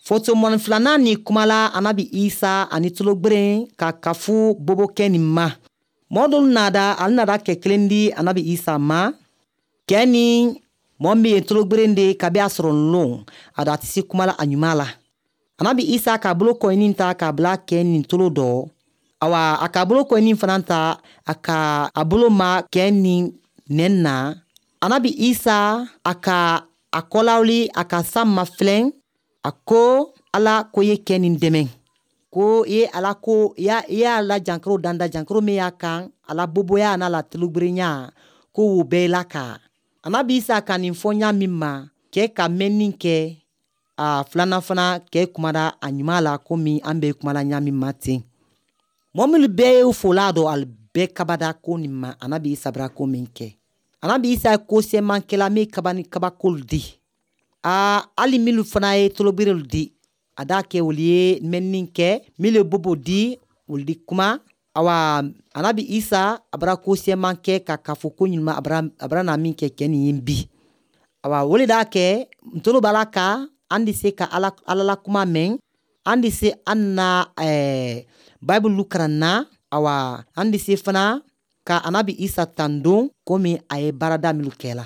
Fotomɔni filanan ni kumala anabi Isa ani tologberen ka kafu bobokɛ nin ma. Mɔɔ dolu nada, ale nada kɛ kelen di anabi Isa ma. Kɛ ni mɔɔ min ye tologberen de kabi a sɔrɔ lon, a da tɛ se kuma la a ɲuman la. Anabi Isa k'a bolo kɔɲini ta k'a bila kɛ nin tolo dɔ. Awa, a k'a bolo kɔɲini fana ta, a ka a bolo ma kɛ nin nɛn na. Anabi Isa a ka a kɔlawuli, a ka san mafilɛn, a ko ala ko ye kɛ nin dɛmɛ, ko i ye ala ko i y'a la jankaro danda, jankaro min y'a kan, a la boboya n'a la tulugberenya, ko wo bɛɛ la ka. Anabi Isa ka nin fɔ ɲa min ma, kɛ ka mɛnni kɛ, a filanan fana kɛ kumada a ɲuman la komi an bɛ kumala ɲa min ma ten. Mɔgɔ minnu bɛɛ ye fola dɔn, ali bɛɛ kabada ko nin ma anabi Isa bara ko min kɛ. Anabi Isa ye ko sɛmankɛla min kaba ni kabakolu di. Aa, hali minnu fana ye toloberew di, a d'a kɛ olu ye mɛnni kɛ, minnu ye bobo di, olu di kuma. Awa, anabi Isa a bara ko sɛman kɛ ka kafo ko ɲuman a bara na min kɛ kɛ nin ye bi. Awa, o le d'a kɛ ntolo b'a la ka an di se ka ala, ala la kuma mɛn, an di se an na Bible karan na. Awa, an di se fana ka anabi Isa tandon komi a ye baarada minnu kɛ la.